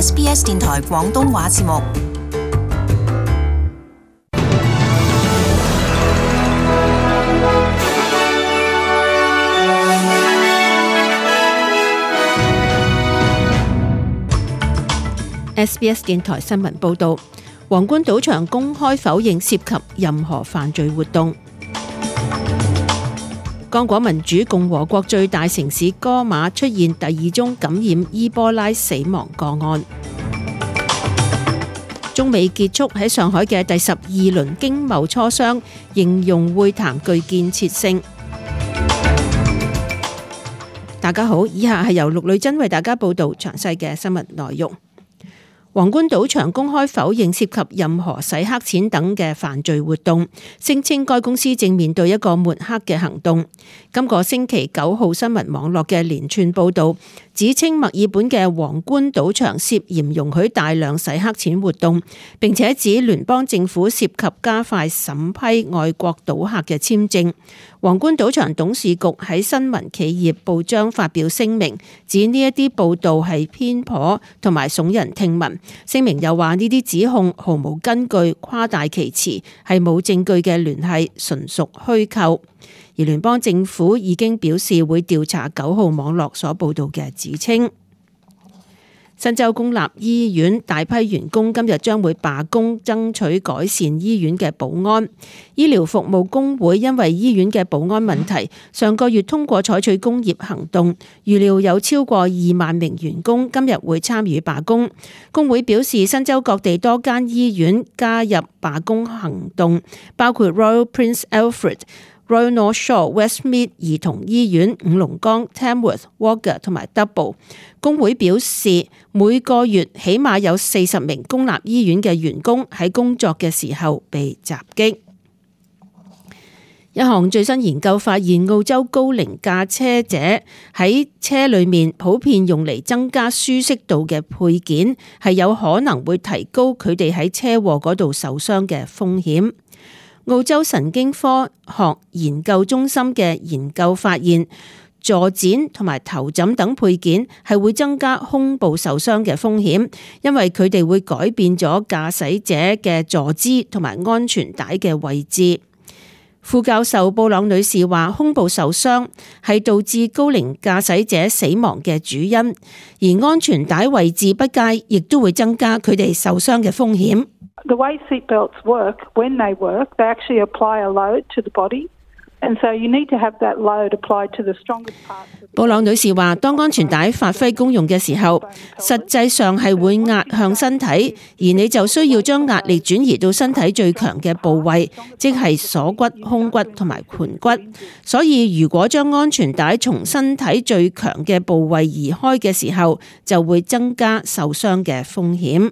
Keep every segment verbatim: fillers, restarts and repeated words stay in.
S B S 電台廣東話節目。S B S 電台新聞報導，皇冠賭場公開否認涉及任何犯罪活動。剛果民主共和國最大城市戈馬出現第二宗感染伊波拉死亡個案。中美結束喺上海嘅第十二輪經貿磋商，形容會談具建設性。大家好，以下係由陸女真為大家報道詳細嘅新聞內容。皇冠賭場公開否認涉及任何洗黑錢等嘅犯罪活動，聲稱該公司正面對一個抹黑嘅行動。今個星期九號新聞網絡嘅連串報導指稱墨爾本嘅皇冠賭場涉嫌容許大量洗黑錢活動，並且指聯邦政府涉及加快審批外國賭客嘅簽證。皇冠賭場董事局喺新聞企業報章發表聲明，指呢一啲報導係偏頗同埋聳人聽聞。聲明又話呢啲指控毫無根據、誇大其詞，係冇證據嘅聯繫，純屬虛構。而聯邦政府已經表示會調查九號網絡所報導嘅指稱。新州公立醫院大批員工今日將會罷工，爭取改善醫院嘅保安。醫療服務工會因為醫院嘅保安問題，上個月通過採取工業行動，預料有超過二萬名員工今日會參與罷工。工會表示，新州各地多間醫院加入罷工行動，包括 Royal Prince Alfred、Royal North Shore、Westmead 兒童醫院、五龍崗、Tamworth、Wagga 同埋 Double。工會表示，每個月起碼有四十名公立醫院嘅員工喺工作嘅時候被襲擊。一項最新研究發現，澳洲高齡駕車者喺車裏面普遍用嚟增加舒適度嘅配件，係有可能會提高佢哋喺車禍嗰度受傷嘅風險。澳洲神經科學研究中心嘅研究發現，坐墊同埋頭枕等配件係會增加胸部受傷嘅風險，因為佢哋會改變咗駕駛者嘅坐姿同埋安全帶嘅位置。副教授布朗女士話，胸部受傷係導致高齡駕駛者死亡嘅主因，而安全帶位置不佳亦都會增加佢哋受傷嘅風險。The way seatbelts work, when they work, they actually apply a load to the body, and so you need to have that load applied to the strongest parts. 布朗女士話，當安全帶發揮功用嘅時候，實際上係會壓向身體，而你就需要將壓力轉移到身體最強嘅部位，即係鎖骨、胸骨同埋盆骨。所以如果將安全帶從身體最強嘅部位移開嘅時候，就會增加受傷嘅風險。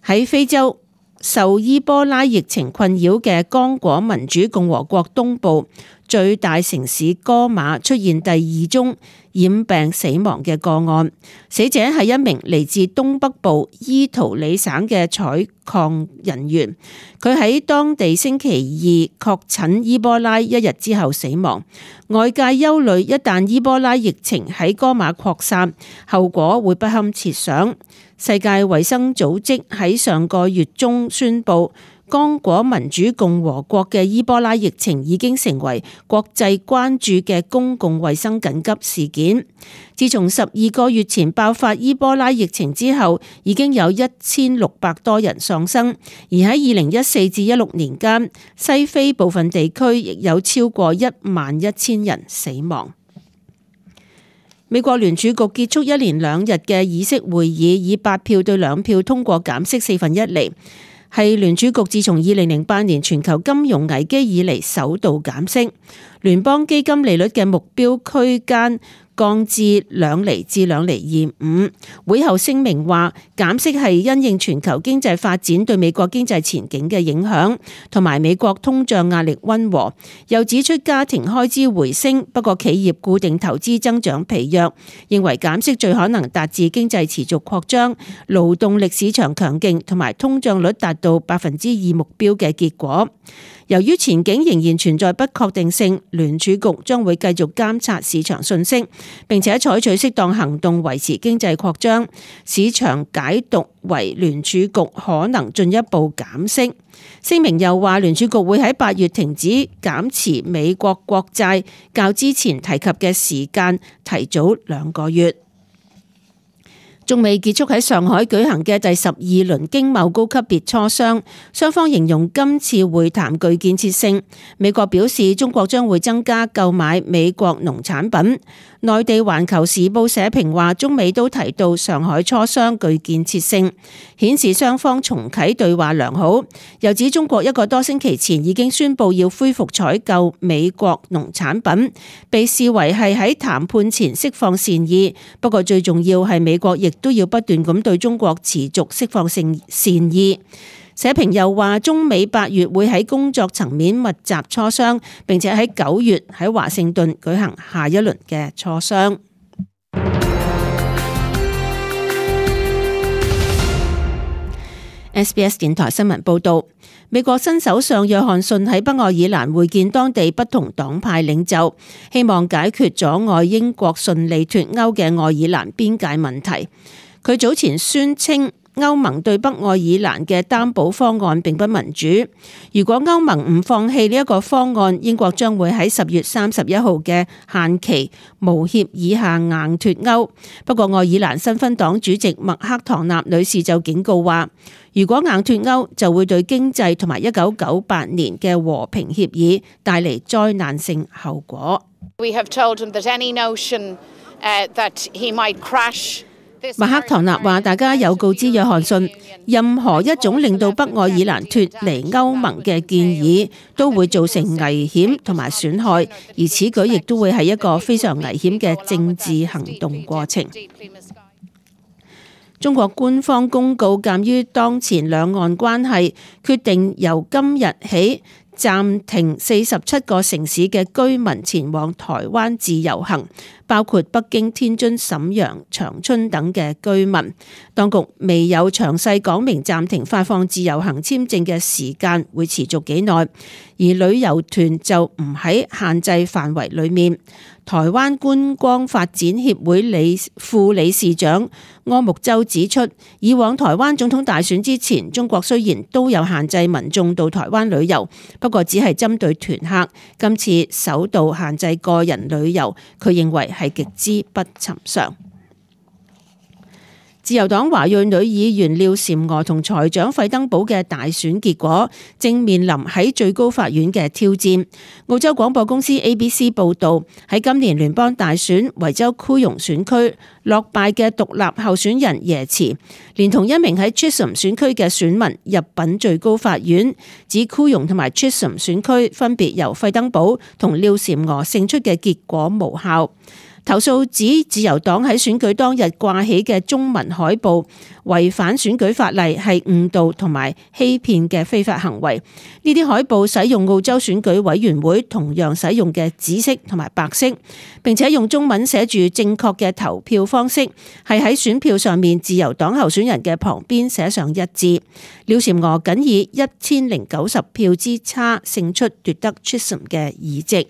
喺非洲受伊波拉疫情困擾嘅剛果民主共和國東部最大城市戈馬出現第二宗染病死亡嘅個案，死者係一名嚟自東北部伊圖里省嘅採礦人員，佢喺當地星期二確診伊波拉一日之後死亡。外界憂慮一旦伊波拉疫情喺戈馬擴散，後果會不堪設想。世界衛生組織喺上個月中宣布，剛果民主共和國嘅伊波拉疫情已經成為國際關注嘅公共衛生緊急事件。自從十二個月前爆發伊波拉疫情之後，已經有一千六百多人喪生，而喺二零一四至一六年間，西非部分地區亦有超過一萬一千人死亡。美國聯儲局結束一連兩日嘅議息會議，以八票對兩票通過減息四分一厘，係聯儲局自從二零零八年全球金融危機以嚟首度減息。聯邦基金利率嘅目標區間降至兩厘至兩厘二五。會後聲明話，減息係因應全球經濟發展對美國經濟前景嘅影響，同埋美國通脹壓力溫和。又指出家庭開支回升，不過企業固定投資增長疲弱，認為減息最可能達至經濟持續擴張、勞動力市場強勁同埋通脹率達到百分之二目標嘅結果。由於前景仍然存在不確定性，聯儲局將會繼續監察市場訊息，並且採取適當行動維持經濟擴張。市場解讀為聯儲局可能進一步減息。聲明又話，聯儲局會喺八月停止減持美國國債，較之前提及嘅時間提早兩個月。中美結束喺上海舉行嘅第十二輪經貿高級別磋商，雙方形容今次會談具建設性。美國表示中國將會增加購買美國農產品。內地環球時報社評話，中美都提到上海磋商具建設性，顯示雙方重啟對話良好。又指中國一個多星期前已經宣布要恢復採購美國農產品，被視為係喺談判前釋放善意。不過最重要係美國亦都要不斷咁對中國持續釋放善善意。社評又話，中美八月會喺工作層面密集磋商，並且喺九月喺華盛頓舉行下一輪嘅磋商。S B S 電台新聞報道，美國新首相約翰遜喺北愛爾蘭會見當地不同黨派領袖，希望解決阻礙英國順利脫歐嘅愛爾蘭邊界問題。佢早前宣稱，歐盟對北愛爾蘭嘅擔保方案並不民主。如果歐盟唔放棄呢一個方案，英國將會喺十月三十一號嘅限期無協議下硬脫歐。不過愛爾蘭新芬黨主席麥克唐納女士就警告話，如果硬脫歐，就會對經濟同埋一九九八年嘅和平協議帶嚟災難性後果。We have told him that any notion, uh, that he might crash。麥克唐納話，大家有告知約翰遜，任何一種令到北愛爾蘭脫離歐盟嘅建議都會造成危險同埋損害，而此舉亦都會係一個非常危險嘅政治行動過程。中國官方公告，鑑於當前兩岸關係，決定由今日起暫停四十七個城市嘅居民前往台灣自由行，包括北京、天津、瀋陽、長春等嘅居民。當局未有詳細講明暫停發放自由行簽證嘅時間會持續幾耐，而旅遊團就唔喺限制範圍裡面。台灣觀光發展協會理副理事長柯木洲指出，以往台灣總統大選之前，中國雖然都有限制民眾到台灣旅遊，不過只係針對團客。今次首度限制個人旅遊，佢認為係極之不尋常。自由黨華裔女議員廖嬋娥同財長費登堡嘅大選結果正面臨喺最高法院嘅挑戰。澳洲廣播公司 A B C 報導，喺今年聯邦大選維州庫容選區落敗嘅獨立候選人耶茨，連同一名喺 Chisholm 選區嘅選民入稟最高法院，指庫容同埋 Chisholm 選區分別由費登堡同廖嬋娥勝出嘅結果無效。投訴指自由黨喺選舉當日掛起嘅中文海報違反選舉法例，係誤導同埋欺騙嘅非法行為。呢啲海報使用澳洲選舉委員會同樣使用嘅紫色同埋白色，並且用中文寫住正確嘅投票方式，係喺選票上面自由黨候選人嘅旁邊寫上一致。廖嬋娥僅以一千零九十票之差勝出，奪得 Chisholm 嘅議席。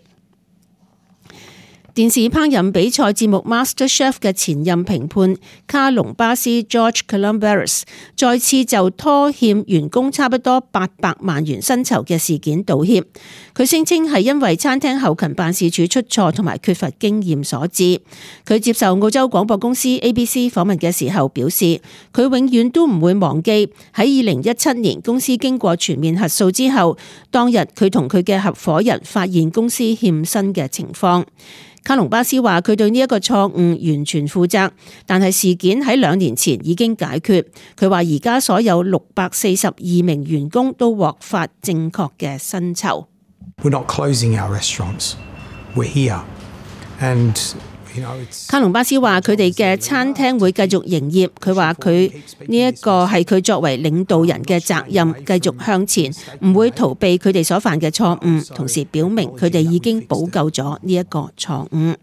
電視烹飪比賽節目 MasterChef 嘅前任評判卡隆巴斯 George Calombaris 再次就拖欠員工差不多八百萬元薪酬嘅事件道歉。佢聲稱係因為餐廳後勤辦事處出錯同埋缺乏經驗所致。佢接受澳洲廣播公司 A B C 訪問嘅時候表示，佢永遠都唔會忘記喺二零一七年公司經過全面核數之後，當日佢同佢嘅合夥人發現公司欠薪嘅情況。卡隆巴斯話佢對呢一個錯誤完全負責，但係事件喺兩年前已經解決。佢話而家所有六百四十二名員工都獲發正確嘅薪酬。We're not closing our restaurants. We're here. And卡隆巴斯話佢哋嘅餐廳會繼續營業。佢話佢呢一個係佢作為領導人嘅責任，繼續向前，唔會逃避佢哋所犯嘅錯誤，同時表明佢哋已經補救咗呢一個錯誤。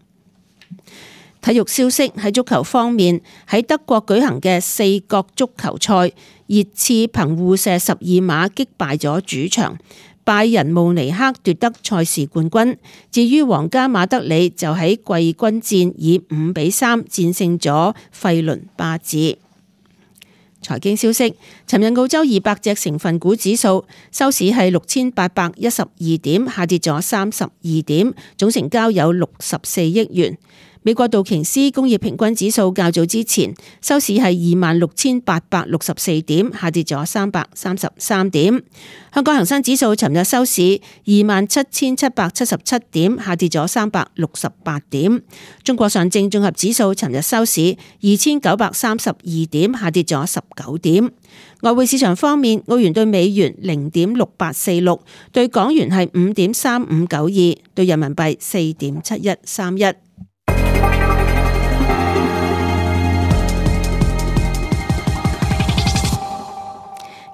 體育消息，喺足球方面，喺德國舉行嘅四國足球賽，熱刺憑互射十二碼擊敗咗主場拜仁慕尼黑奪得賽事冠軍。至於皇家馬德里就喺季軍戰以五比三戰勝咗費倫巴治。財經消息，尋日澳洲二百隻成分股指數收市係六千八百一十二點，下跌咗三十二點，總成交有六十四億元。美國道瓊斯工業平均指數較早之前收市係二萬六千八百六十四點，下跌咗三百三十三點。香港恒生指數尋日收市二萬七千七百七十七點，下跌咗三百六十八點。中國上證綜合指數尋日收市二千九百三十二點，下跌咗十九點。外匯市場方面，澳元對美元零點六八四六，對港元係五點三五九二，對人民幣四點七一三一。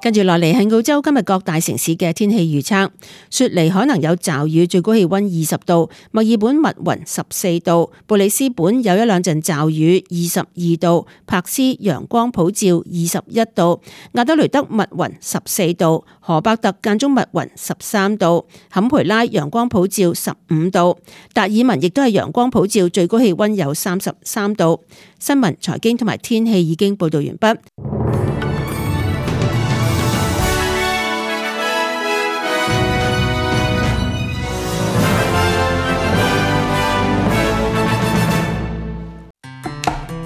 跟住落嚟係澳洲今日各大城市嘅天氣預測。雪梨可能有驟雨，最高氣溫二十度；墨爾本密雲十四度；布里斯本有一兩陣驟雨，二十二度；柏斯陽光普照，二十一度；亞德雷德密雲十四度；荷伯特間中密雲十三度；坎培拉陽光普照十五度；達爾文亦都係陽光普照，最高氣溫有三十三度。新聞、財經同埋天氣已經報道完畢。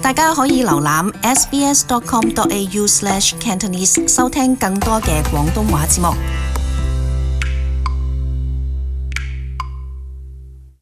大家可以瀏覽 s b s dot com dot a u slash cantonese 收聽更多嘅廣東話節目。